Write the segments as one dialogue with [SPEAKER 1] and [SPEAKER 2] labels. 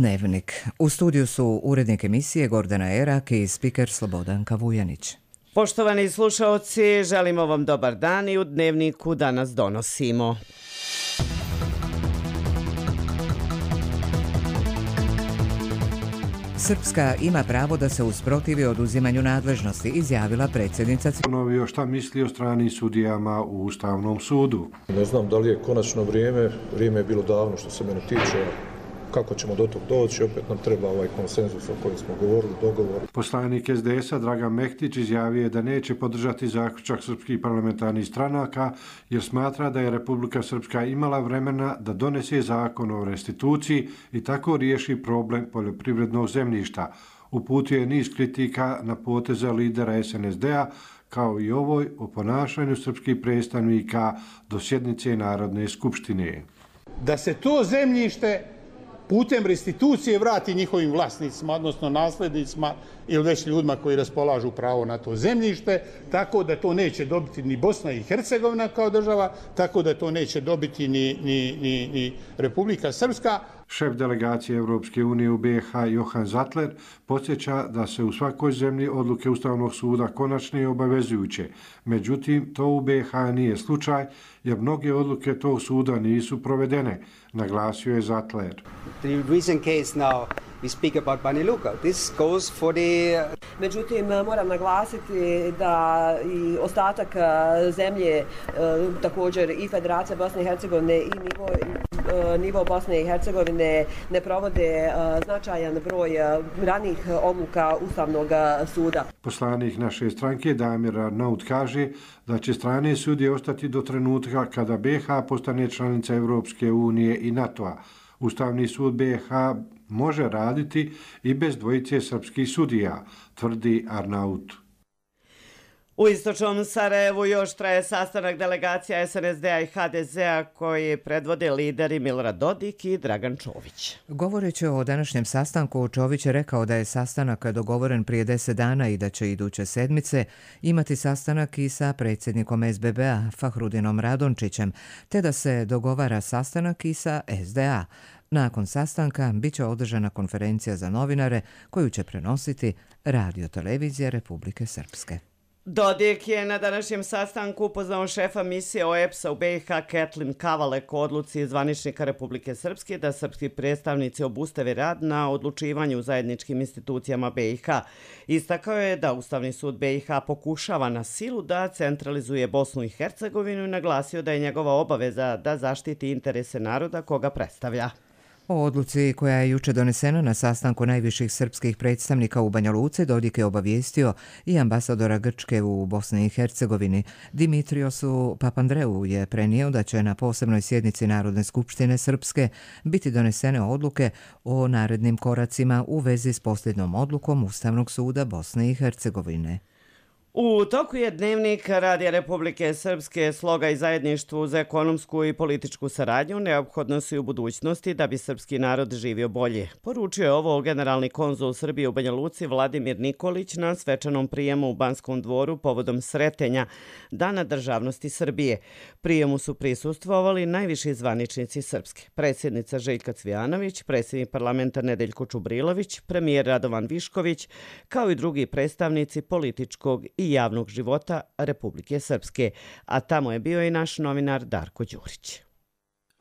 [SPEAKER 1] Dnevnik. U studiju su urednik emisije Gordana Erak i spiker Slobodanka Vujanić.
[SPEAKER 2] Poštovani slušaoci, želimo vam dobar dan i u Dnevniku danas donosimo.
[SPEAKER 1] Srpska ima pravo da se usprotivi oduzimanju nadležnosti, izjavila predsjednica.
[SPEAKER 3] Ponovio šta misli o stranim sudijama u Ustavnom sudu.
[SPEAKER 4] Ne znam da li je konačno vrijeme je bilo davno što se mene tiče. Kako ćemo do tog doći, opet nam treba ovaj konsenzus o kojem smo govorili, dogovor.
[SPEAKER 3] Poslanik SDS-a Dragan Mehtić izjavio je da neće podržati zaključak srpskih parlamentarnih stranaka jer smatra da je Republika Srpska imala vremena da donese zakon o restituciji i tako riješi problem poljoprivrednog zemljišta. Uputio je niz kritika na poteze lidera SNSD-a kao i ovoj o ponašanju srpskih predstavnika do sjednice Narodne skupštine.
[SPEAKER 5] Da se to zemljište putem restitucije vrati njihovim vlasnicima, odnosno naslednicima ili već ljudima koji raspolažu pravo na to zemljište, tako da to neće dobiti ni Bosna i Hercegovina kao država, tako da to neće dobiti ni Republika Srpska.
[SPEAKER 3] Šef delegacije Europske unije u BiH Johan Zatler podsjeća da se u svakoj zemlji odluke Ustavnog suda konačne i obavezujuće. Međutim, to u BiH nije slučaj jer mnoge odluke tog suda nisu provedene, naglasio je Zatler.
[SPEAKER 6] The recent case now we speak about Banja Luka. This goes for the...
[SPEAKER 7] Međutim, moram naglasiti da i ostatak zemlje, također i Federacija Bosne i Hercegovine i nivo Bosne i Hercegovine ne provode značajan broj ranih odluka Ustavnog suda.
[SPEAKER 3] Poslanik naše stranke Damir Arnaut kaže da će strane sudije ostati do trenutka kada BiH postane članica Europske unije i NATO-a. Ustavni sud BiH može raditi i bez dvojice srpskih sudija, tvrdi Arnaut.
[SPEAKER 2] U istočnom Sarajevu još traje sastanak delegacija SNSD-a i HDZ-a koji predvode lideri Milorad Dodik i Dragan Čović.
[SPEAKER 1] Govoreći o današnjem sastanku, Čović je rekao da je sastanak dogovoren prije 10 dana i da će iduće sedmice imati sastanak i sa predsjednikom SBB-a Fahrudinom Radončićem, te da se dogovara sastanak i sa SDA. Nakon sastanka biće održana konferencija za novinare koju će prenositi Radio-televizija Republike Srpske.
[SPEAKER 2] Dodik je na današnjem sastanku upoznao šefa misije OEBS-a u BiH Ketlin Kavalek o odluci zvaničnika Republike Srpske da srpski predstavnici obustave rad na odlučivanju u zajedničkim institucijama BiH. Istakao je da Ustavni sud BiH pokušava na silu da centralizuje Bosnu i Hercegovinu i naglasio da je njegova obaveza da zaštiti interese naroda koga predstavlja.
[SPEAKER 1] O odluci koja je juče donesena na sastanku najviših srpskih predstavnika u Banja Luci Dodik je obavijestio i ambasadora Grčke u Bosni i Hercegovini. Dimitriosu Papandreou je prenio da će na posebnoj sjednici Narodne skupštine Srpske biti donesene odluke o narednim koracima u vezi s posljednom odlukom Ustavnog suda Bosne i Hercegovine.
[SPEAKER 2] U toku je Dnevnik Radija Republike Srpske sloga i zajedništvu za ekonomsku i političku saradnju neophodno su i u budućnosti da bi srpski narod živio bolje. Poručio je ovo generalni konzul Srbije u Banja Luci Vladimir Nikolić na svečanom prijemu u Banskom dvoru povodom sretenja Dana državnosti Srbije. Prijemu su prisustvovali najviši zvaničnici Srpske. Predsjednica Željka Cvijanović, predsjednik parlamenta Nedeljko Čubrilović, premijer Radovan Višković, kao i drugi predstavnici političkog i javnog života Republike Srpske, a tamo je bio i naš novinar Darko Đurić.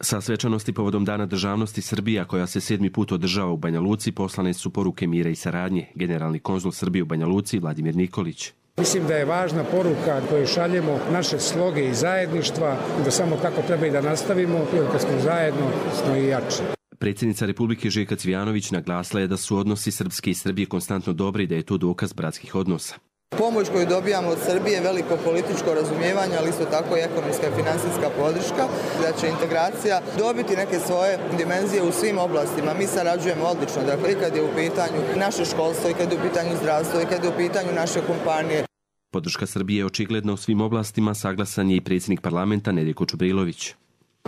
[SPEAKER 8] Sa svečanosti povodom Dana državnosti Srbija, koja se 7. put održava u Banja Luci, poslane su poruke mira i saradnje. Generalni konzul Srbije u Banja Luci Vladimir Nikolić.
[SPEAKER 9] Mislim da je važna poruka koju šaljemo naše sloge i zajedništva, da samo tako treba i da nastavimo, jer kad smo zajedno, smo i jači.
[SPEAKER 8] Predsjednica Republike Željka Cvijanović naglasila je da su odnosi Srpske i Srbije konstantno dobri i da je to dokaz bratskih odnosa.
[SPEAKER 10] Pomoć koju dobijamo od Srbije je veliko političko razumijevanje, ali isto tako i ekonomska i finansijska podrška, da će integracija dobiti neke svoje dimenzije u svim oblastima. Mi sarađujemo odlično, dakle i kad je u pitanju naše školstvo, i kad je u pitanju zdravstvo, i kad je u pitanju naše kompanije.
[SPEAKER 8] Podrška Srbije je očigledna u svim oblastima, saglasan je i predsjednik parlamenta Nedeljko Čubrilović.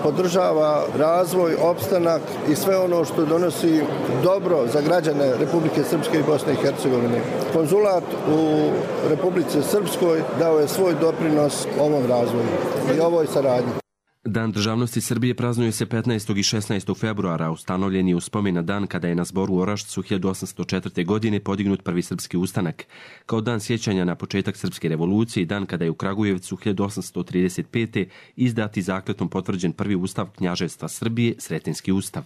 [SPEAKER 11] Podržava razvoj, opstanak i sve ono što donosi dobro za građane Republike Srpske i Bosne i Hercegovine. Konzulat u Republici Srpskoj dao je svoj doprinos ovom razvoju i ovoj saradnji.
[SPEAKER 8] Dan državnosti Srbije praznuje se 15. i 16. februara, ustanovljen je u spomen na dan kada je na zboru u Orašcu 1804. godine podignut prvi srpski ustanak. Kao dan sjećanja na početak srpske revolucije i dan kada je u Kragujevcu 1835. izdat i zakletom potvrđen prvi ustav Knjaževstva Srbije, Sretenski ustav.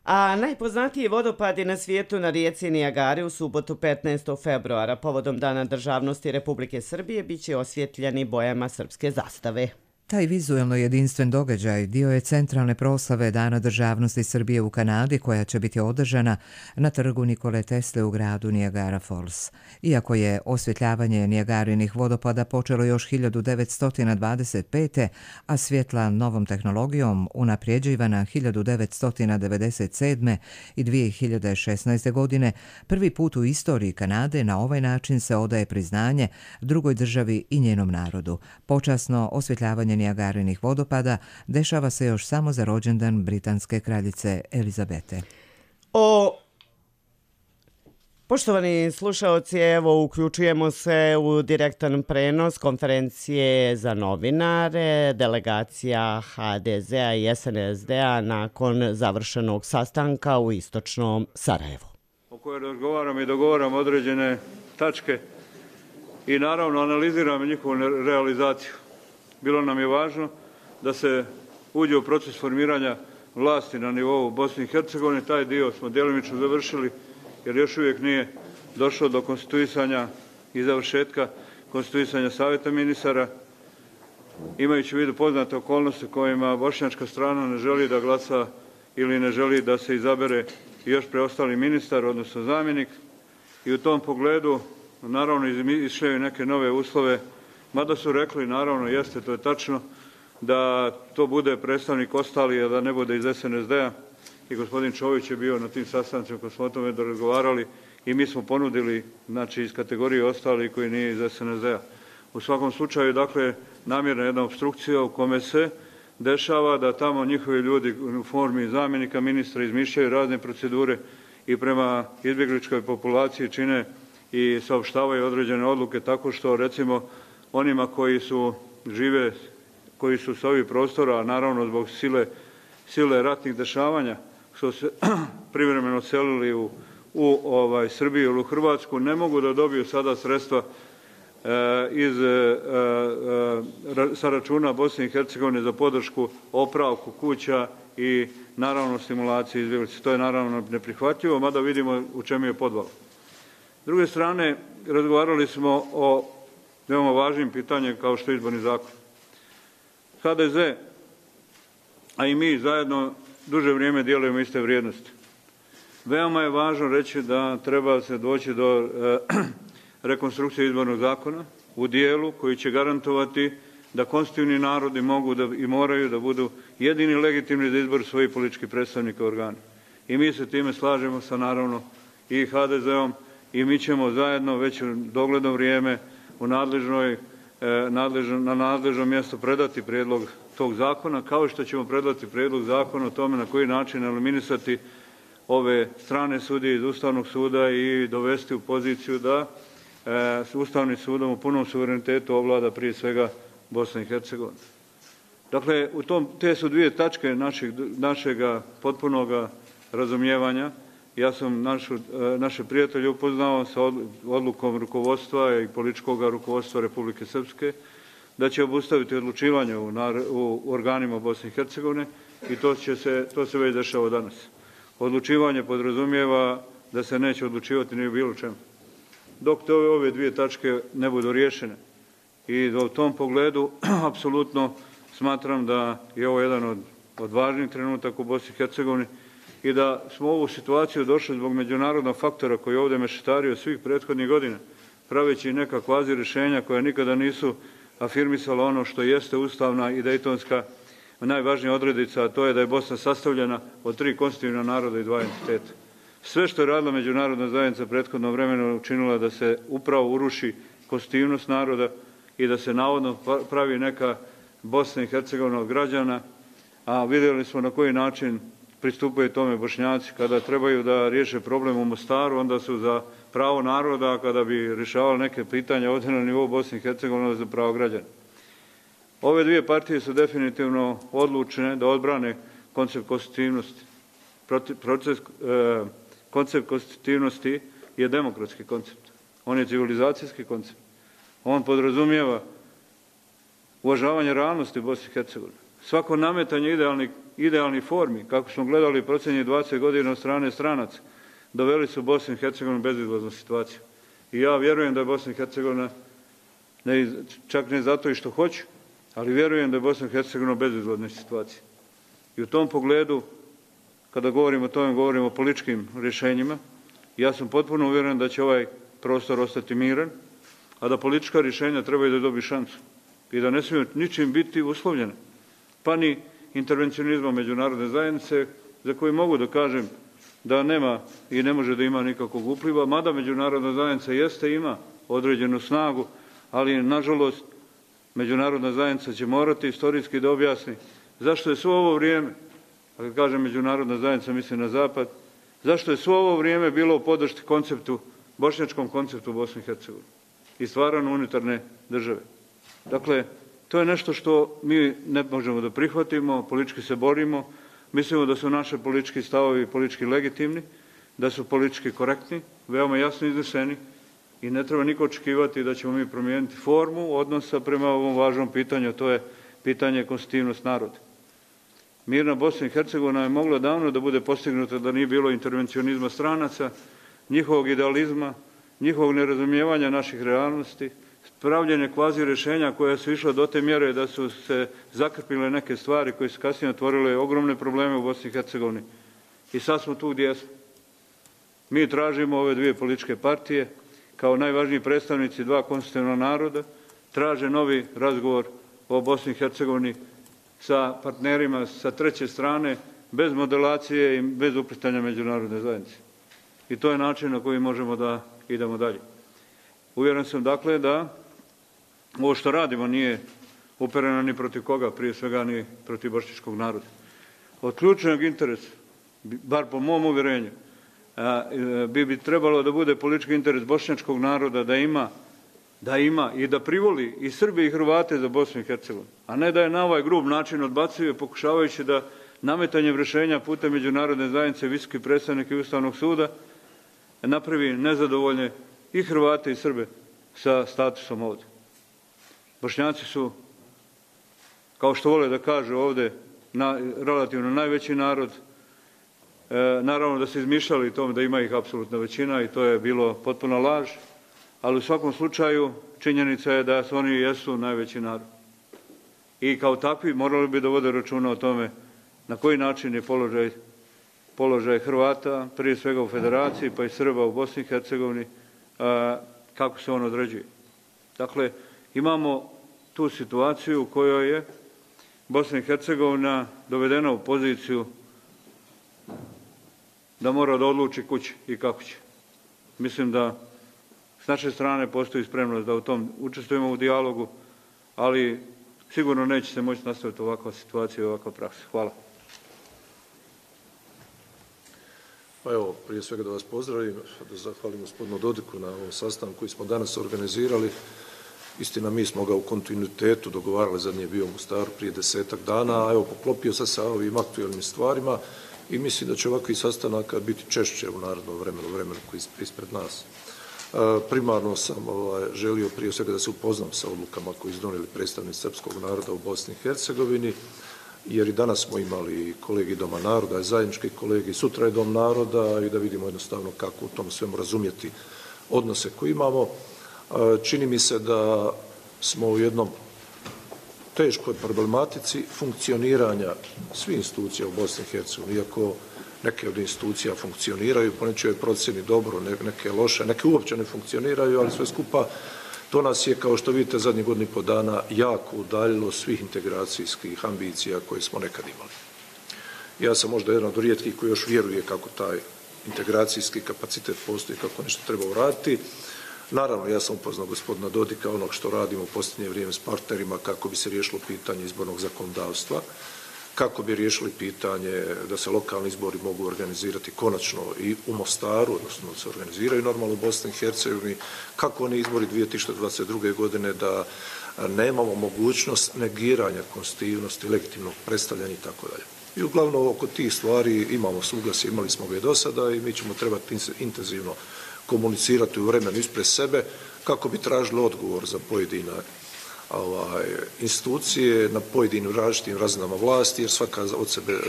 [SPEAKER 2] A najpoznatiji vodopadi na svijetu na rijeci Nijagari u subotu 15. februara povodom Dana državnosti Republike Srbije biće osvjetljeni bojama srpske zastave.
[SPEAKER 1] Taj vizuelno jedinstven događaj dio je centralne proslave Dana državnosti Srbije u Kanadi koja će biti održana na trgu Nikole Tesle u gradu Niagara Falls. Iako je osvjetljavanje Nijagarinih vodopada počelo još 1925. a svjetla novom tehnologijom unaprijeđivana 1997. i 2016. godine, prvi put u istoriji Kanade na ovaj način se odaje priznanje drugoj državi i njenom narodu. Počasno osvjetljavanje Nijagarinih vodopada dešava se još samo za rođendan britanske kraljice Elizabete.
[SPEAKER 2] Poštovani slušaoci, evo uključujemo se u direktan prenos konferencije za novinare, delegacija HDZ-a i SNSD-a nakon završenog sastanka u istočnom Sarajevu.
[SPEAKER 12] O kojoj razgovaramo i dogovaramo određene tačke i naravno analiziramo njihovu realizaciju. Bilo nam je važno da se uđe u proces formiranja vlasti na nivou Bosne i Hercegovine. Taj dio smo djelimično završili jer još uvijek nije došlo do konstituisanja i završetka konstituisanja Savjeta ministara. Imajući u vidu poznate okolnosti kojima bošnjačka strana ne želi da glasa ili ne želi da se izabere još preostali ministar, odnosno zamjenik. I u tom pogledu naravno išle neke nove uslove. Mada su rekli, naravno, jeste, to je tačno, da to bude predstavnik ostali, a da ne bude iz SNSD-a. I gospodin Čović je bio na tim sastancima koji smo o tome razgovarali i mi smo ponudili, znači, iz kategorije ostali koji nije iz SNSD-a. U svakom slučaju, dakle, namjerna jedna obstrukcija u kome se dešava da tamo njihovi ljudi u formi zamjenika ministra izmišljaju razne procedure i prema izbjegličkoj populaciji čine i saopštavaju određene odluke tako što, recimo, onima koji su sa ovih prostora, a naravno zbog sile ratnih dešavanja, što se privremeno selili u Srbiju ili u Hrvatsku, ne mogu da dobiju sada sredstva sa računa Bosne i Hercegovine za podršku opravku kuća i naravno stimulaciju izbjeglice. To je naravno neprihvatljivo, mada vidimo u čemu je podvala. S druge strane, razgovarali smo o veoma važnim pitanjem kao što je izborni zakon. HDZ, a i mi zajedno duže vrijeme dijelujemo iste vrijednosti. Veoma je važno reći da treba se doći do rekonstrukcije izbornog zakona u dijelu koji će garantovati da konstitutivni narodi mogu i moraju da budu jedini legitimni za izbor svojih političkih predstavnika organa. I mi se time slažemo sa naravno i HDZ-om i mi ćemo zajedno već u dogledno vrijeme na nadležno mjesto predati prijedlog tog zakona, kao što ćemo predati prijedlog zakona o tome na koji način eliminisati ove strane sudije iz Ustavnog suda i dovesti u poziciju da s Ustavnim sudom u punom suverenitetu ovlada prije svega Bosna i Hercegovina. Dakle, te su dvije tačke našega potpunog razumijevanja. Ja sam naše prijatelje upoznao sa odlukom rukovodstva i političkog rukovodstva Republike Srpske da će obustaviti odlučivanje u organima Bosne i Hercegovine i to se već dešava danas. Odlučivanje podrazumijeva da se neće odlučivati ni u bilo čemu. Dok ove dvije tačke ne budu riješene. I u tom pogledu apsolutno smatram da je ovo jedan od važnijih trenutaka u Bosni i Hercegovini i da smo u ovu situaciju došli zbog međunarodnog faktora koji je ovdje mešetario svih prethodnih godina, praveći neka kvazi rješenja koja nikada nisu afirmisala ono što jeste ustavna i dejtonska najvažnija odrednica, a to je da je Bosna sastavljena od 3 konstitutivna naroda i 2 entiteta. Sve što je radila međunarodna zajednica prethodno vremena učinila da se upravo uruši konstitutivnost naroda i da se navodno pravi neka Bosna i Hercegovina od građana, a vidjeli smo na koji način pristupaju tome Bošnjaci. Kada trebaju da riješe problem u Mostaru, onda su za pravo naroda, a kada bi rješavali neke pitanja ovdje na nivou Bosne i Hercegovine, za pravo građana. Ove dvije partije su definitivno odlučene da odbrane koncept konstitutivnosti. Koncept konstitutivnosti je demokratski koncept. On je civilizacijski koncept. On podrazumijeva uvažavanje realnosti u Bosni i Hercegovini. Svako nametanje idealnih formi, kako smo gledali procenje 20 godina od strane stranaca, doveli su Bosnu i Hercegovinu u bezizlaznu situaciju. I ja vjerujem da je Bosna i Hercegovina, čak ne zato i što hoću, ali vjerujem da je Bosna i Hercegovina u bezizlaznoj situaciji. I u tom pogledu, kada govorimo o tome, govorimo o političkim rješenjima. Ja sam potpuno uvjeren da će ovaj prostor ostati miran, a da politička rješenja trebaju da dobi šansu i da ne smiju ničim biti uslovljene, pa ni intervencionizmom međunarodne zajednice, za koju mogu da kažem da nema i ne može da ima nikakvog upliva, mada međunarodna zajednica jeste, ima određenu snagu, ali nažalost međunarodna zajednica će morati istorijski da objasni zašto je svo ovo vrijeme, a kad kažem međunarodna zajednica mislim na zapad, zašto je svo ovo vrijeme bilo u podršci konceptu, bošnjačkom konceptu Bosne i Hercegovine i stvaranju unitarne države. Dakle, to je nešto što mi ne možemo da prihvatimo, politički se borimo, mislimo da su naše politički stavovi politički legitimni, da su politički korektni, veoma jasno izneseni i ne treba niko očekivati da ćemo mi promijeniti formu odnosa prema ovom važnom pitanju, a to je pitanje konstitutivnost naroda. Mirna Bosna i Hercegovina je mogla davno da bude postignuta da nije bilo intervencionizma stranaca, njihovog idealizma, njihovog nerazumijevanja naših realnosti, pravljenje kvazi rješenja koja su išla do te mjere da su se zakrpile neke stvari koje su kasnije otvorile ogromne probleme u Bosni i Hercegovini. I sad smo tu gdje smo. Mi tražimo ove dvije političke partije kao najvažniji predstavnici dva konstitutivna naroda, traže novi razgovor o Bosni i Hercegovini sa partnerima sa treće strane, bez modelacije i bez uplitanja međunarodne zajednice. I to je način na koji možemo da idemo dalje. Uvjeren sam dakle da ovo što radimo nije upereno ni protiv koga, prije svega ni protiv bošnjačkog naroda. Od ključnog interesa, bar po mom uvjerenju, bi trebalo da bude politički interes bošnjačkog naroda da ima i da privoli i Srbi i Hrvate za Bosnu i Hercegovinu, a ne da je na ovaj grub način odbacuje pokušavajući da nametanjem rješenja putem međunarodne zajednice, visoki predstavnik i Ustavnog suda napravi nezadovoljne i Hrvate i Srbe sa statusom ovdje. Bošnjaci su, kao što vole da kažu ovdje, relativno najveći narod. Naravno da se izmišljali tome da ima ih apsolutna većina i to je bilo potpuna laž, ali u svakom slučaju činjenica je da su oni jesu najveći narod. I kao takvi morali bi da vode računa o tome na koji način je položaj Hrvata, prije svega u Federaciji, pa i Srba u Bosni i Hercegovini, kako se on određuje. Dakle, imamo tu situaciju u kojoj je Bosna i Hercegovina dovedena u poziciju da mora da odluči kući i kako će. Mislim da s naše strane postoji spremnost da u tom učestvujemo u dijalogu, ali sigurno neće se moći nastaviti ovakva situacija i ovakva praksa. Hvala.
[SPEAKER 4] Pa evo, prije svega da vas pozdravim, da zahvalim gospodinu Dodiku na ovom sastanku koji smo danas organizirali. Istina, mi smo ga u kontinuitetu dogovarali, zadnji je bio u Mostaru prije 10-ak dana, a evo, poklopio se sa ovim aktualnim stvarima i mislim da će ovakvi sastanaka biti češće u narodnom vremenu koji je ispred nas. Primarno sam želio prije svega da se upoznam sa odlukama koje izdonijeli predstavnici srpskog naroda u Bosni i Hercegovini, jer i danas smo imali kolegi Doma naroda, zajednički kolegi, sutra je Dom naroda i da vidimo jednostavno kako u tom svemu razumjeti odnose koje imamo. Čini mi se da smo u jednom teškoj problematici funkcioniranja svih institucija u Bosni i Hercegovini, iako neke od institucija funkcioniraju, po nečijoj procjeni dobro, neke loše, neke uopće ne funkcioniraju, ali sve skupa to nas je, kao što vidite, zadnjih godinu i po dana jako udaljilo svih integracijskih ambicija koje smo nekad imali. Ja sam možda jedan od rijetkih koji još vjeruje kako taj integracijski kapacitet postoji, kako nešto treba uraditi. Naravno, ja sam upoznao gospodina Dodika, onog što radimo u posljednje vrijeme s partnerima, kako bi se riješilo pitanje izbornog zakonodavstva, kako bi riješili pitanje da se lokalni izbori mogu organizirati konačno i u Mostaru, odnosno da se organiziraju normalno u Bosni i Hercegovini, kako oni izbori 2022. godine da nemamo mogućnost negiranja konstitutivnosti, legitimnog predstavljanja i tako dalje. I uglavnom oko tih stvari imamo suglasje, imali smo ga i do sada i mi ćemo trebati intenzivno komunicirati u vremenu ispred sebe kako bi tražili odgovor za pojedine institucije na pojedinim različitim razinama vlasti, jer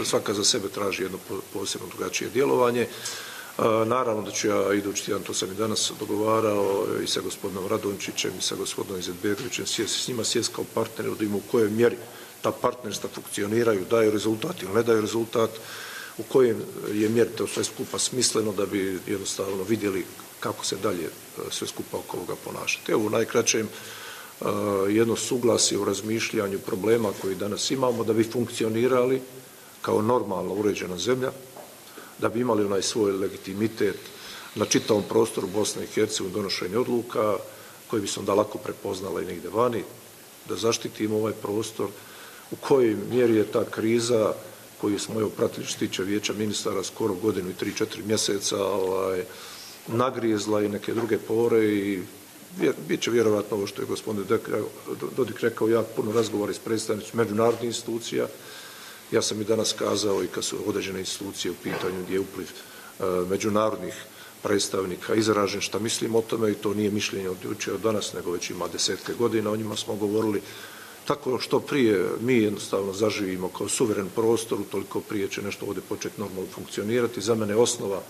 [SPEAKER 4] svaka za sebe traži jedno posebno drugačije djelovanje. Naravno da ću ja idući tjedan, to sam i danas dogovarao i sa gospodinom Radončićem i sa gospodinom Izetbegovićem, s njima sjest kao partneri, da im u kojoj mjeri ta partnerstva funkcioniraju, daju rezultat ili ne daju rezultat, u kojem je mjeri to sve skupa smisleno da bi jednostavno vidjeli kako se dalje sve skupa oko ovoga ponašati. Evo u najkraćem jedno suglasje u razmišljanju problema koji danas imamo da bi funkcionirali kao normalno uređena zemlja, da bi imali onaj svoj legitimitet na čitavom prostoru Bosne i Hercegovine donošenja odluka koji bi se onda lako prepoznala i negdje vani, da zaštitimo ovaj prostor, u kojoj mjeri je ta kriza koju smo pratili što tiče Vijeća ministara skoro godinu i 3-4 mjeseca nagrizla i neke druge pore i bit će vjerovatno ovo što je gospodin Dodik rekao, jako puno razgovora s predstavnicima međunarodnih institucija. Ja sam i danas kazao i kad su određene institucije u pitanju gdje je upliv međunarodnih predstavnika izražen šta mislim o tome i to nije mišljenje od jučer od danas, nego već ima desetke godina, o njima smo govorili. Tako što prije mi jednostavno zaživimo kao suveren prostor, toliko prije će nešto ovdje početi normalno funkcionirati. Za mene je osnova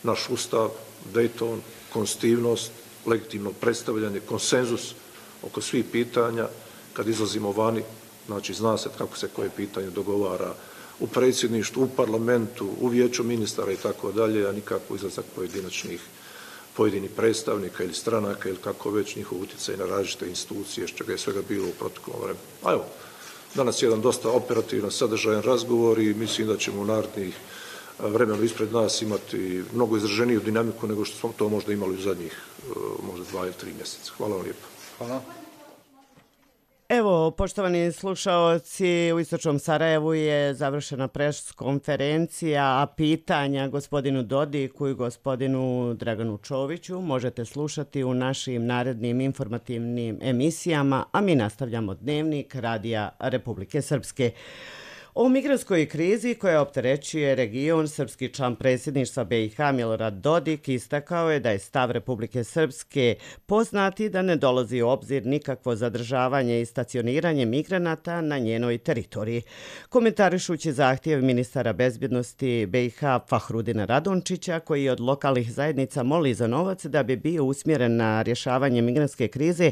[SPEAKER 4] naš ustav, Dayton, konstitutivnost, legitimno predstavljanje, konsenzus oko svih pitanja. Kad izlazimo vani, znači zna se kako se koje pitanje dogovara u predsjedništvu, u parlamentu, u vijeću ministara i tako dalje, a nikako izlazak pojedinih predstavnika ili stranaka ili kako već njihov utjecaj na različite institucije, što je svega bilo u proteklom vremenu. A evo, danas je jedan dosta operativan, sadržajan razgovor i mislim da ćemo u narednih vremenu ispred nas imati mnogo izraženiju dinamiku nego što smo to možda imali u zadnjih možda 2 ili 3 mjeseca. Hvala vam lijepo.
[SPEAKER 2] Hvala. Evo, poštovani slušaoci, u Istočnom Sarajevu je završena pres konferencija, a pitanja gospodinu Dodiku i gospodinu Draganu Čoviću možete slušati u našim narednim informativnim emisijama, a mi nastavljamo Dnevnik Radija Republike Srpske. O migrantskoj krizi koja opterećuje region, srpski član predsjedništva BiH Milorad Dodik istakao je da je stav Republike Srpske poznati da ne dolazi u obzir nikakvo zadržavanje i stacioniranje migranata na njenoj teritoriji. Komentarišući zahtjev ministara bezbjednosti BiH Fahrudina Radončića, koji od lokalnih zajednica moli za novac da bi bio usmjeren na rješavanje migrantske krize,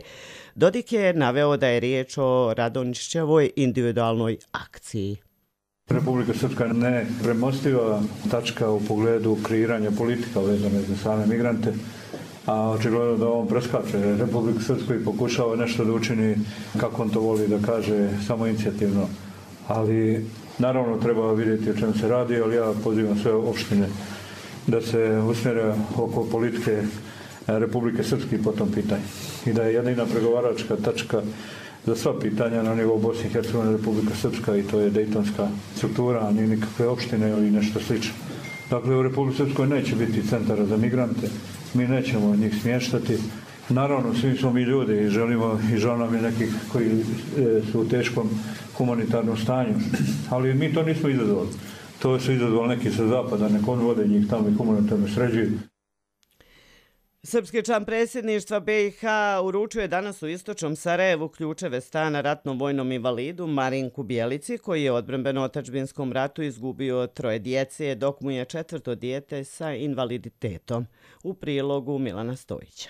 [SPEAKER 2] Dodik je naveo da je riječ o Radončićevoj individualnoj akciji.
[SPEAKER 12] Republika Srpska je nepremostiva tačka u pogledu kreiranja politika vezane za same migrante, a očigledno da on preskače Republiku Srpsku i pokušava nešto da učini, kako on to voli da kaže, samoinicijativno. Ali naravno treba vidjeti o čemu se radi, ali ja pozivam sve opštine da se usmjere oko politike Republike Srpske po tom pitanju. I da je jedina pregovaračka tačka za sva pitanja na nivou Bosne i Hercegovine Republika Srpska i to je dejtonska struktura, a nije nikakve opštine ili nešto slično. Dakle, u Republike Srpskoj neće biti centara za migrante, mi nećemo njih smještati. Naravno, svi smo mi ljudi i želimo i žao nam je nekih koji su u teškom humanitarnom stanju, ali mi to nismo izazvali. To su izazvali neki sa zapada, nek on vode njih tamo i humanitarno sređuju.
[SPEAKER 2] Srpski član predsjedništva BiH uručuje danas u Istočnom Sarajevu ključeve stana ratnom vojnom invalidu Marinku Bjelici, koji je u odbrambeno-otadžbinskom ratu izgubio 3 djece, dok mu je 4. dijete sa invaliditetom. U prilogu Milana Stojića.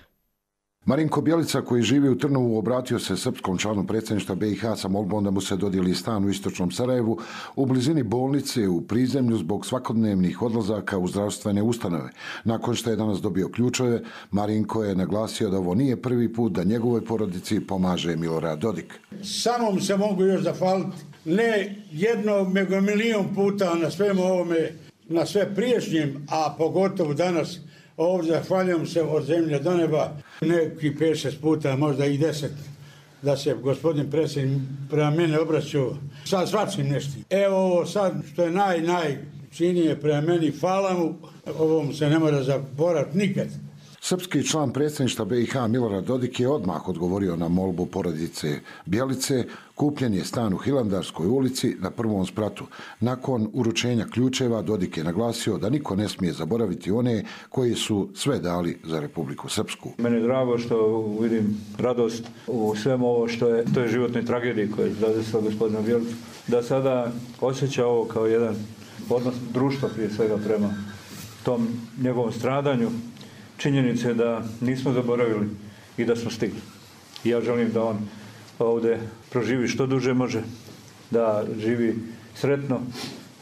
[SPEAKER 13] Marinko Bjelica, koji živi u Trnovu, obratio se srpskom članu predsjedništva BiH sa molbom da mu se dodijeli stan u Istočnom Sarajevu u blizini bolnice u prizemlju zbog svakodnevnih odlazaka u zdravstvene ustanove. Nakon što je danas dobio ključeve, Marinko je naglasio da ovo nije prvi put da njegovoj porodici pomaže Milorad Dodik.
[SPEAKER 5] Samo mu se mogu još zahvaliti, ne jednom, nego milion puta na svemu ovome, na sve priješnjim, a pogotovo danas. Ovdje zahvaljujem se od zemlje do neba, neki 5-6 puta, možda i 10, da se gospodin predsjednik prema mene obraćao sa svačim nešto. Evo sad što je najčinije prema meni, hvala mu, ovom se ne mora zaboraviti nikad.
[SPEAKER 13] Srpski član predsjedništva BiH Milorad Dodik je odmah odgovorio na molbu porodice Bjelice. Kupljen je stan u Hilandarskoj ulici na prvom spratu. Nakon uručenja ključeva Dodik je naglasio da niko ne smije zaboraviti one koji su sve dali za Republiku Srpsku.
[SPEAKER 12] Meni je drago što vidim radost u svemu ovo što je toj životnoj tragediji koja je zadesila gospodina Bjelicu. Da sada osjeća ovo kao jedan odnos društva prije svega prema tom njegovom stradanju. Činjenice da nismo zaboravili i da smo stigli. I ja želim da on ovdje proživi što duže može, da živi sretno,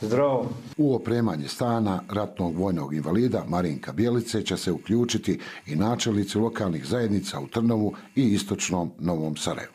[SPEAKER 12] zdravo.
[SPEAKER 13] U opremanje stana ratnog vojnog invalida Marinka Bjelice će se uključiti i načelnici lokalnih zajednica u Trnovu i istočnom Novom Sarajevu.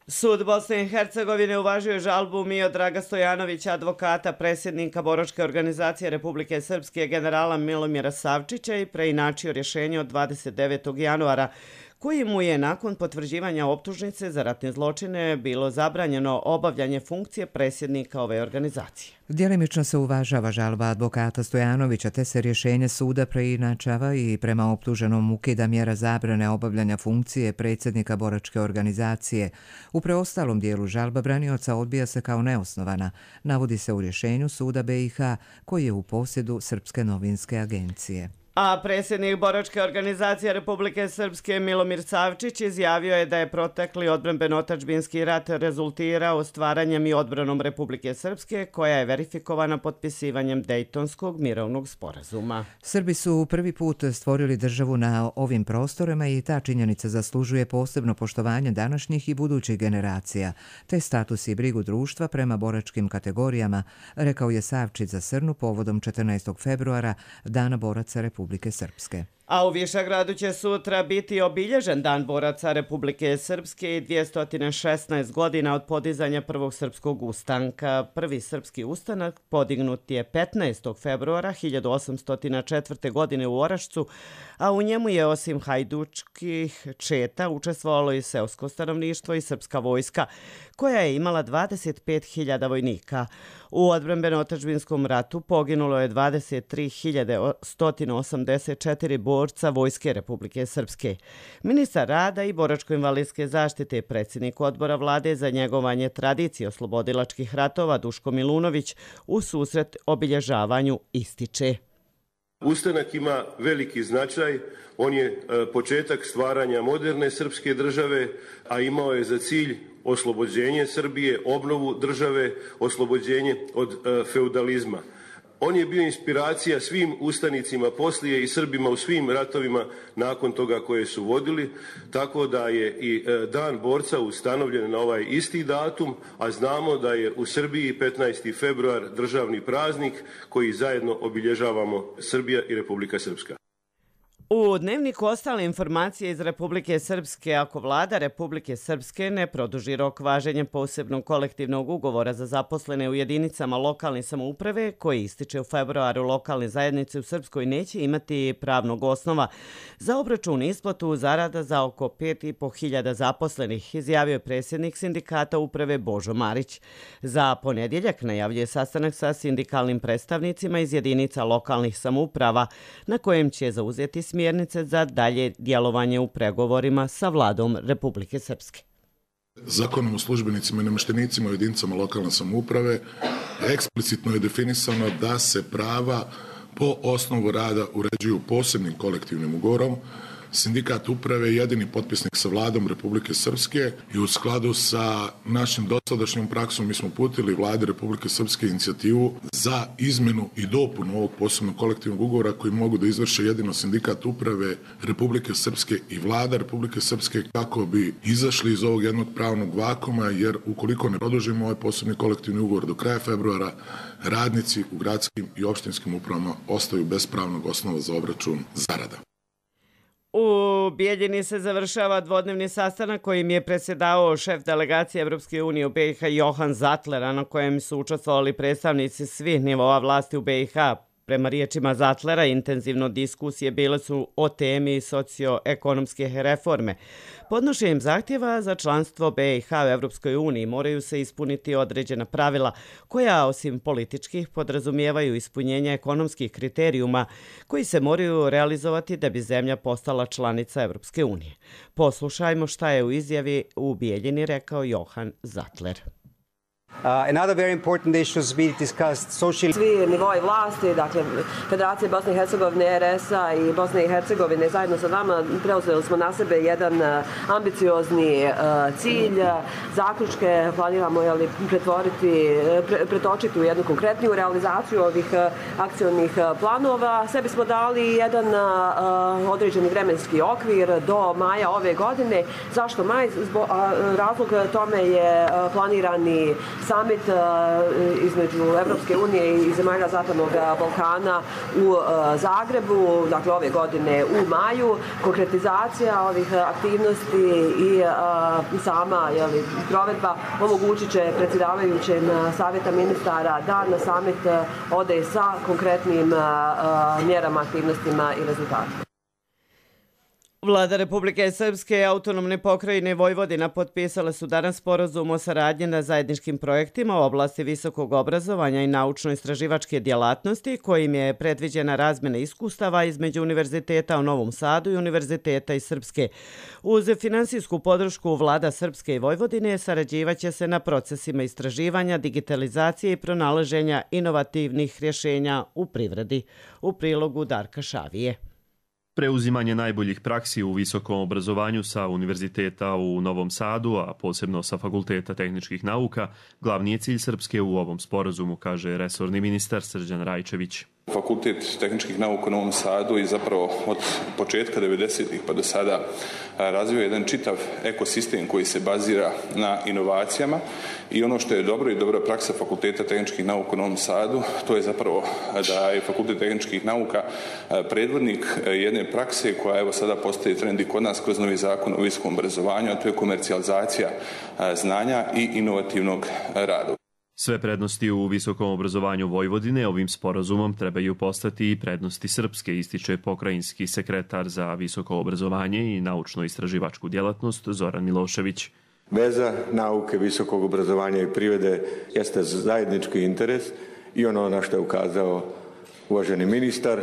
[SPEAKER 2] Sud Bosne i Hercegovine uvažio žalbu Miodraga Stojanovića, advokata predsjednika Boračke organizacije Republike Srpske generala Milomira Savčića i preinačio rješenje od 29. januara, koji mu je nakon potvrđivanja optužnice za ratne zločine bilo zabranjeno obavljanje funkcije predsjednika ove organizacije.
[SPEAKER 1] Djelimično se uvažava žalba advokata Stojanovića, te se rješenje suda preinačava i prema optuženom ukida mjera zabrane obavljanja funkcije predsjednika Boračke organizacije. U preostalom dijelu žalba branioca odbija se kao neosnovana, navodi se u rješenju suda BiH koji je u posjedu Srpske novinske agencije.
[SPEAKER 2] A predsjednik Boračke organizacije Republike Srpske Milomir Savčić izjavio je da je protekli odbrambeno-otadžbinski rat rezultirao stvaranjem i odbranom Republike Srpske, koja je verifikovana potpisivanjem Dejtonskog mirovnog sporazuma.
[SPEAKER 1] Srbi su prvi put stvorili državu na ovim prostorima i ta činjenica zaslužuje posebno poštovanje današnjih i budućih generacija, te status i brigu društva prema boračkim kategorijama, rekao je Savčić za Srnu povodom 14. februara, Dana boraca Republike Srpske.
[SPEAKER 2] A u Višegradu će sutra biti obilježen Dan boraca Republike Srpske i 216 godina od podizanja prvog srpskog ustanka. Prvi srpski ustanak podignut je 15. februara 1804. godine u Orašcu, a u njemu je osim hajdučkih četa učestvovalo i seosko stanovništvo i srpska vojska, koja je imala 25.000 vojnika. U odbrambeno-otadžbinskom ratu poginulo je 23.184 borca Vojske Republike Srpske. Ministar rada i boračko-invalidske zaštite, predsjednik odbora vlade za njegovanje tradicije oslobodilačkih ratova Duško Milunović u susret obilježavanju ističe.
[SPEAKER 14] Ustanak ima veliki značaj, on je početak stvaranja moderne srpske države, a imao je za cilj oslobođenje Srbije, obnovu države, oslobođenje od feudalizma. On je bio inspiracija svim ustanicima poslije i Srbima u svim ratovima nakon toga koje su vodili, tako da je i Dan borca ustanovljen na ovaj isti datum, a znamo da je u Srbiji 15. februar državni praznik koji zajedno obilježavamo Srbija i Republika Srpska.
[SPEAKER 2] U dnevniku ostale informacije iz Republike Srpske, ako vlada Republike Srpske ne produži rok važenja posebnog kolektivnog ugovora za zaposlene u jedinicama lokalne samouprave, koji ističe u februaru, lokalne zajednice u Srpskoj neće imati pravnog osnova za obračun i isplatu zarada za oko 5.500 zaposlenih, izjavio je predsjednik sindikata uprave Božo Marić. Za ponedjeljak najavljuje sastanak sa sindikalnim predstavnicima iz jedinica lokalnih samouprava, na kojem će zauzeti smjernice za dalje djelovanje u pregovorima sa vladom Republike Srpske.
[SPEAKER 15] Zakonom o službenicima i namještenicima u jedinicama lokalne samouprave eksplicitno je definisano da se prava po osnovu rada uređuju posebnim kolektivnim ugovorom. Sindikat uprave je jedini potpisnik sa vladom Republike Srpske i u skladu sa našim dosadašnjom praksom mi smo uputili vladi Republike Srpske inicijativu za izmenu i dopunu ovog posebnog kolektivnog ugovora koji mogu da izvrše jedino sindikat uprave Republike Srpske i vlada Republike Srpske kako bi izašli iz ovog jednog pravnog vakuma, jer ukoliko ne produžimo ovaj posebni kolektivni ugovor do kraja februara, radnici u gradskim i opštinskim upravama ostaju bez pravnog osnova za obračun zarada.
[SPEAKER 2] U Bijeljini se završava dvodnevni sastanak kojim je predsjedavao šef delegacije Evropske unije u BiH Johan Zatlera, na kojem su učestvovali predstavnici svih nivoa vlasti u BiH, Prema riječima Zatlera, intenzivno diskusije bile su o temi socioekonomske reforme. Podnošenjem zahtjeva za članstvo BiH u Evropskoj uniji moraju se ispuniti određena pravila koja, osim političkih, podrazumijevaju ispunjenje ekonomskih kriterijuma koji se moraju realizovati da bi zemlja postala članica Evropske unije. Poslušajmo šta je u izjavi u Bijeljini rekao Johan Zatler.
[SPEAKER 6] Another very important issue to be discussed, social...
[SPEAKER 7] Svi nivoi vlasti, dakle Federacije Bosne i Hercegovine, RS-a i Bosne i Hercegovine zajedno sa nama preuzeli smo na sebe jedan ambiciozni cilj. Zaključke planiramo pretočiti u jednu konkretniju realizaciju ovih akcionih planova. Sebi smo dali jedan određeni vremenski okvir do maja ove godine. Zašto maj? Razlog tome je planirani summit između Evropske unije i zemalja Zapadnog Balkana u Zagrebu, dakle ove godine u maju. Konkretizacija ovih aktivnosti i sama provedba omogućit će predsjedavajućem savjeta ministara da na summit ode sa konkretnim mjerama, aktivnostima i rezultatima.
[SPEAKER 2] Vlada Republike Srpske i autonomne pokrajine Vojvodina potpisale su danas sporazum o saradnji na zajedničkim projektima u oblasti visokog obrazovanja i naučno-istraživačke djelatnosti, kojim je predviđena razmjena iskustava između Univerziteta u Novom Sadu i Univerziteta iz Srpske. Uz finansijsku podršku Vlada Srpske i Vojvodine sarađivaće se na procesima istraživanja, digitalizacije i pronalaženja inovativnih rješenja u privredi. U prilogu Darka Šavije.
[SPEAKER 16] Preuzimanje najboljih praksi u visokom obrazovanju sa Univerziteta u Novom Sadu, a posebno sa Fakulteta tehničkih nauka, glavni je cilj Srpske u ovom sporazumu, kaže resorni ministar Srđan Rajčević.
[SPEAKER 17] Fakultet tehničkih nauka u Novom Sadu i zapravo od početka 90-ih pa do sada razvio jedan čitav ekosistem koji se bazira na inovacijama i ono što je dobro i dobra praksa Fakulteta tehničkih nauka u Novom Sadu, to je zapravo da je Fakultet tehničkih nauka predvodnik jedne prakse koja evo sada postaje trend i kod nas kroz novi zakon o visokom obrazovanju, a to je komercijalizacija znanja i inovativnog rada.
[SPEAKER 16] Sve prednosti u visokom obrazovanju Vojvodine ovim sporazumom trebaju postati i prednosti Srpske, ističe pokrajinski sekretar za visoko obrazovanje i naučno-istraživačku djelatnost Zoran Milošević.
[SPEAKER 18] Veza nauke, visokog obrazovanja i privrede jeste zajednički interes i ono na što je ukazao uvaženi ministar,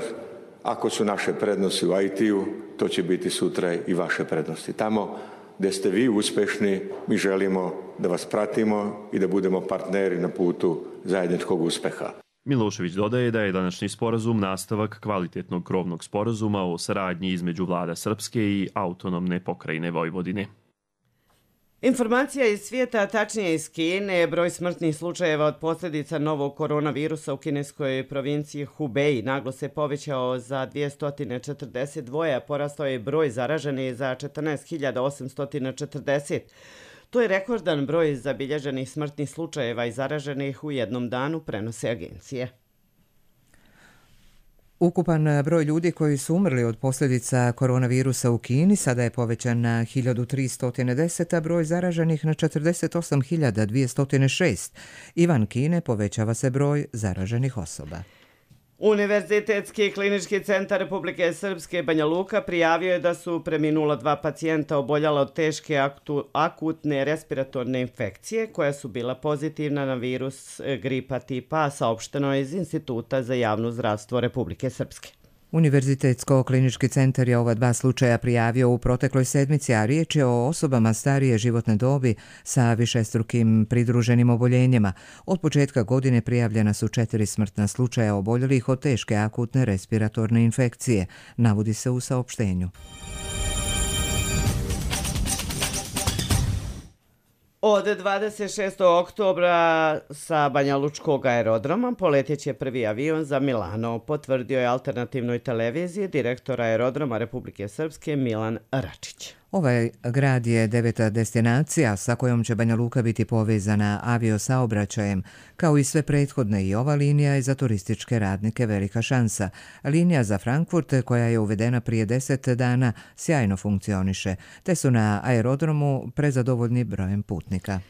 [SPEAKER 18] ako su naše prednosti u IT-u, to će biti sutra i vaše prednosti. Tamo gdje ste vi uspješni, mi želimo da vas pratimo i da budemo partneri na putu zajedničkog uspjeha.
[SPEAKER 16] Milošević dodaje da je današnji sporazum nastavak kvalitetnog krovnog sporazuma o saradnji između Vlada Srpske i autonomne pokrajine Vojvodine.
[SPEAKER 2] Informacija iz svijeta, tačnije iz Kine, broj smrtnih slučajeva od posljedica novog koronavirusa u kineskoj provinciji Hubei naglo se povećao za 242, a porastao je broj zaraženih za 14.840. To je rekordan broj zabilježenih smrtnih slučajeva i zaraženih u jednom danu, prenose agencije.
[SPEAKER 1] Ukupan broj ljudi koji su umrli od posljedica koronavirusa u Kini sada je povećan na 1310, a broj zaraženih na 48.206. Izvan Kine povećava se broj zaraženih osoba.
[SPEAKER 2] Univerzitetski klinički centar Republike Srpske Banja Luka prijavio je da su preminula 2 pacijenta oboljala od teške akutne respiratorne infekcije koja su bila pozitivna na virus gripa tipa A, saopšteno je iz Instituta za javno zdravstvo Republike Srpske.
[SPEAKER 1] Univerzitetsko-klinički centar je ova 2 slučaja prijavio u protekloj sedmici, a riječ je o osobama starije životne dobi sa višestrukim pridruženim oboljenjima. Od početka godine prijavljena su 4 smrtna slučaja oboljelih od teške akutne respiratorne infekcije, navodi se u saopštenju.
[SPEAKER 2] Od 26. oktobra sa Banja Lučkog aerodroma poletjet će prvi avion za Milano, potvrdio je alternativnoj televiziji direktor aerodroma Republike Srpske Milan Račić.
[SPEAKER 1] Ovaj grad je 9. destinacija sa kojom će Banja Luka biti povezana aviosaobraćajem. Kao i sve prethodne, i ova linija je za turističke radnike velika šansa. Linija za Frankfurt, koja je uvedena prije 10 dana, sjajno funkcioniše, te su na aerodromu prezadovoljni brojem putnika.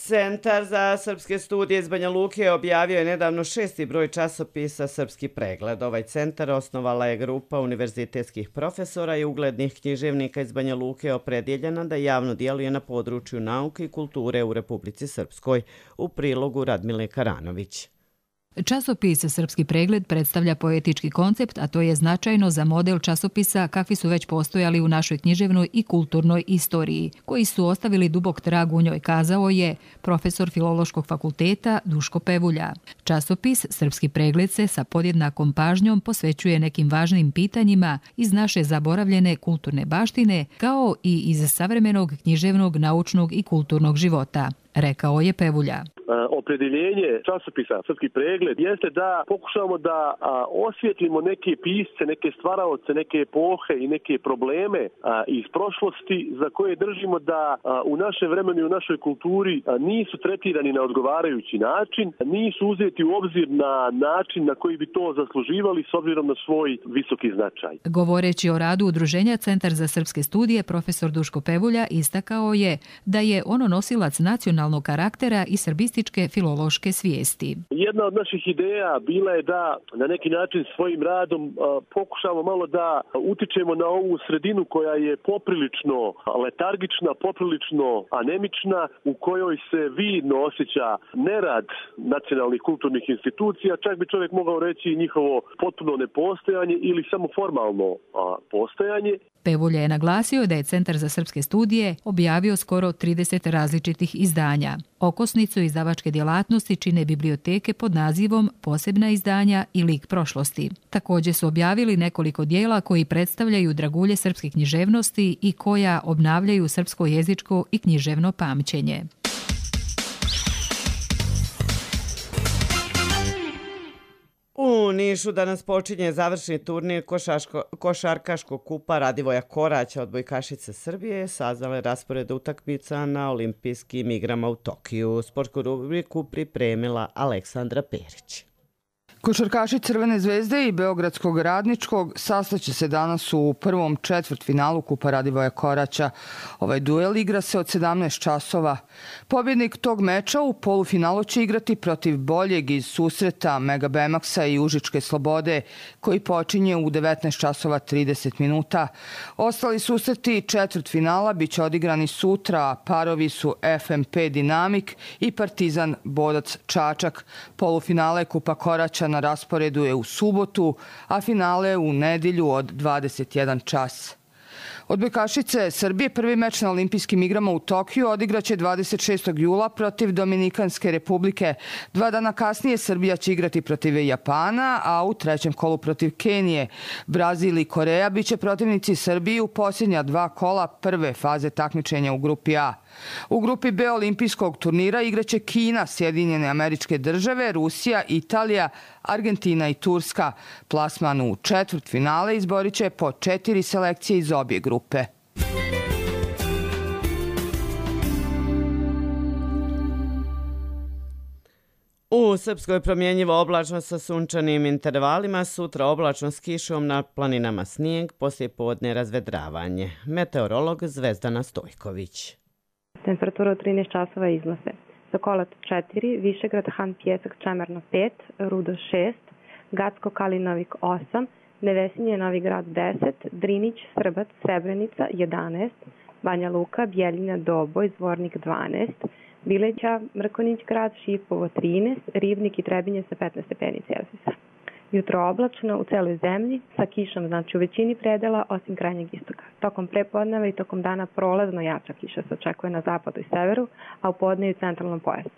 [SPEAKER 2] Centar za srpske studije iz Banja Luke objavio je nedavno 6. broj časopisa Srpski pregled. Ovaj centar osnovala je grupa univerzitetskih profesora i uglednih književnika iz Banja Luke opredjeljena da javno djeluje na području nauke i kulture u Republici Srpskoj, u prilogu Radmile Karanović.
[SPEAKER 19] Časopis Srpski pregled predstavlja poetički koncept, a to je značajno za model časopisa kakvi su već postojali u našoj književnoj i kulturnoj istoriji, koji su ostavili dubok trag u njoj, kazao je profesor Filološkog fakulteta Duško Pevulja. Časopis Srpski pregled se sa podjednakom pažnjom posvećuje nekim važnim pitanjima iz naše zaboravljene kulturne baštine, kao i iz savremenog književnog, naučnog i kulturnog života, rekao je Pevulja.
[SPEAKER 20] Opredjeljenje časopisa Srpski pregled jeste da pokušamo da osvijetlimo neke pisce, neke stvaraoce, neke epohe i neke probleme iz prošlosti za koje držimo da u našem vremenu i u našoj kulturi nisu tretirani na odgovarajući način, nisu uzeti u obzir na način na koji bi to zasluživali s obzirom na svoj visoki značaj.
[SPEAKER 19] Govoreći o radu udruženja Centar za srpske studije, profesor Duško Pevulja istakao je da je ono nosilac nacionalnog karaktera i srbističke filološke svijesti.
[SPEAKER 20] Jedna od naših ideja bila je da na neki način svojim radom pokušamo malo da utičemo na ovu sredinu koja je poprilično letargična, poprilično anemična, u kojoj se vidno osjeća nerad nacionalnih kulturnih institucija, čak bi čovjek mogao reći njihovo potpuno nepostojanje ili samo formalno postojanje.
[SPEAKER 19] Pevulja je naglasio da je Centar za srpske studije objavio skoro 30 različitih izdanja. Okosnicu izdavačke djelatnosti čine biblioteke pod nazivom Posebna izdanja i lik prošlosti. Također su objavili nekoliko dijela koji predstavljaju dragulje srpske književnosti i koja obnavljaju srpsko jezičko i književno pamćenje.
[SPEAKER 2] U Nišu danas počinje završni turnir košarkaškog kupa Radivoja Koraća odbojkašice Srbije, sazvale raspored utakmica na olimpijskim igrama u Tokiju. Sportsku rubriku pripremila Aleksandra Perić.
[SPEAKER 21] Košarkaši Crvene zvezde i Beogradskog Radničkog sastaće se danas u prvom četvrtfinalu Kupa Radivoja Koraća. Ovaj duel igra se od 17 časova. Pobjednik tog meča u polufinalu će igrati protiv boljeg iz susreta Mega Bemaxa i Užičke Slobode, koji počinje u 19 časova 30 minuta. Ostali susreti četvrtfinala biće odigrani sutra, parovi su FMP Dinamik i Partizan Bodac Čačak. Polufinale Kupa Koraća na rasporedu je u subotu, a finale u nedjelju od 21 čas. Odbojkašice Srbije prvi meč na olimpijskim igrama u Tokiju odigraće 26. jula protiv Dominikanske republike. 2 dana kasnije Srbija će igrati protiv Japana, a u trećem kolu protiv Kenije. Brazil i Koreja biće protivnici Srbiji u posljednja 2 kola prve faze takmičenja u grupi A. U grupi B olimpijskog turnira igraće Kina, Sjedinjene Američke Države, Rusija, Italija, Argentina i Turska. Plasman u četvrtfinale izborit će po 4 selekcije iz obje grupe.
[SPEAKER 2] U Srpskoj promjenjivo oblačno sa sunčanim intervalima, sutra oblačno s kišom, na planinama snijeg, poslijepodne razvedravanje. Meteorolog Zvezdana Stojković.
[SPEAKER 22] Temperatura od 13 časova iznose: Sokolac 4, Višegrad, Han Pjesak, Čemerno 5, Rudo 6, Gacko, Kalinovik 8, Nevesinje, Novi Grad 10, Drinić, Srbac, Srebrenica 11, Banja Luka, Bjeljina, Doboj, Zvornik 12, Bileća, Mrkonić grad, Šipovo 13, Rivnik i Trebinje sa 15 stepeni Celzijusa. Jutro oblačno u celoj zemlji sa kišom, znači u većini predela osim krajnjeg istoka. Tokom prepodneva i tokom dana prolazno jača kiša se očekuje na zapadu i severu, a u podne i u centralnom pojasu.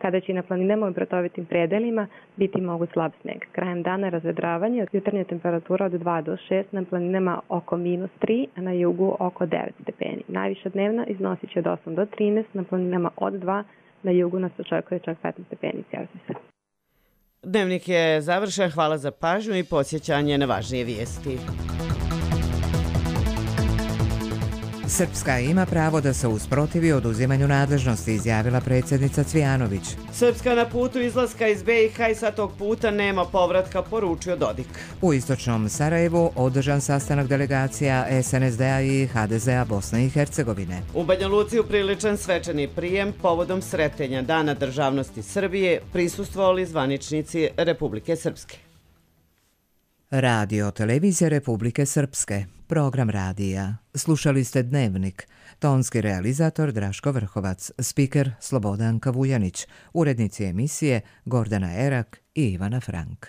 [SPEAKER 22] Kada će i na planinama i bratovitim predelima biti moguć slab sneg. Krajem dana razvedravanje, jutarnja temperatura od 2 do 6, na planinama oko -3, a na jugu oko 9 stepeni. Najviša dnevna iznosit će od 8 do 13, na planinama od 2, na jugu nas očekuje čak 15 stepeni Celzijusa.
[SPEAKER 2] Dnevnik je završen, hvala za pažnju i podsjećanje na važnije vijesti.
[SPEAKER 1] Srpska ima pravo da se usprotivi oduzimanju nadležnosti, izjavila predsjednica Cvijanović.
[SPEAKER 2] Srpska na putu izlaska iz BiH i sa tog puta nema povratka, poručio Dodik.
[SPEAKER 1] U istočnom Sarajevu održan sastanak delegacija SNSD-a i HDZ-a Bosne i Hercegovine.
[SPEAKER 2] U Banja Luci upriličan svečani prijem povodom sretenja Dana državnosti Srbije prisustvovali zvaničnici Republike Srpske.
[SPEAKER 1] Radio Televizija Republike Srpske. Program radija. Slušali ste Dnevnik. Tonski realizator Draško Vrhovac. Spiker Slobodanka Vujanić. Urednici emisije Gordana Erak i Ivana Frank.